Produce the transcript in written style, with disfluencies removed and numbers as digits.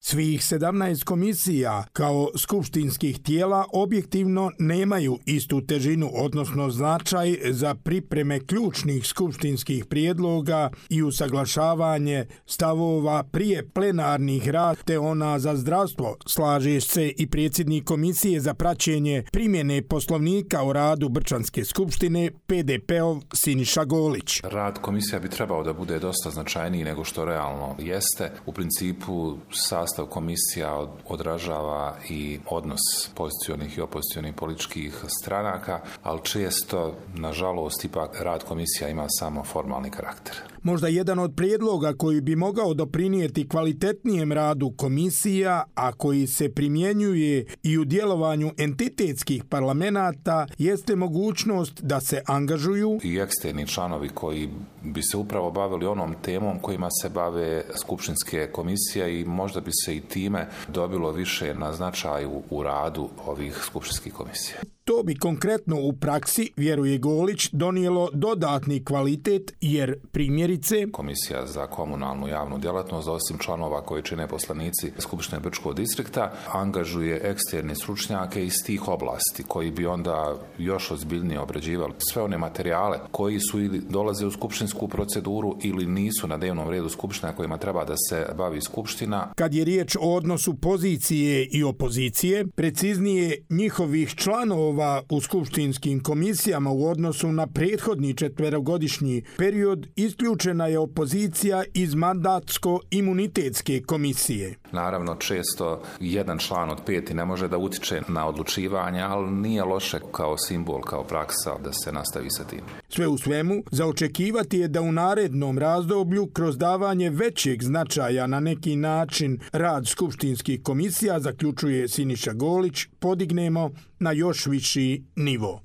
Svih 17 komisija kao skupštinskih tijela objektivno nemaju istu težinu, odnosno značaj za pripreme ključnih skupštinskih prijedloga i usaglašavanje stavova prije plenarnih rad, te ona za zdravstvo, slaže se i predsjednik Komisije za praćenje primjene Poslovnika o radu Brčanske skupštine, PDP-ov Siniša Golić. Rad komisija bi trebao da bude dosta značajniji nego što realno jeste. U principu sastav komisija odražava i odnos pozicionih i opozicionih političkih stranaka, ali često, nažalost, ipak rad komisija ima samo formalni karakter. Možda jedan od prijedloga koji bi mogao doprinijeti kvalitetnijem radu komisija, a koji se primjenjuje i u djelovanju entitetskih parlamenata, jeste mogućnost da se angažuju i eksterni članovi koji bi se upravo bavili onom temom kojima se bave skupštinske komisije i možda bi se i time dobilo više na značaju u radu ovih skupštinskih komisija. To bi konkretno u praksi, vjeruje Golić, donijelo dodatni kvalitet jer primjerice Komisija za komunalnu javnu djelatnost, osim članova koji čine poslanici Skupštine Brčkog distrikta, angažuje eksterne stručnjake iz tih oblasti koji bi onda još ozbiljnije obrađivali sve one materijale koji su ili dolaze u skupštinsku proceduru ili nisu na dnevnom redu skupština kojima treba da se bavi skupština. Kad je riječ o odnosu pozicije i opozicije, preciznije njihovih članova u skupštinskim komisijama u odnosu na prethodni 4-godišnji period, isključena je opozicija iz mandatsko-imunitetske komisije. Naravno, često jedan član od 5 ne može da utiče na odlučivanje, ali nije loše kao simbol, kao praksa da se nastavi sa tim. Sve u svemu, za očekivati je da u narednom razdoblju, kroz davanje većeg značaja na neki način rad skupštinskih komisija, zaključuje Siniša Golić, podignemo na još viši nivo.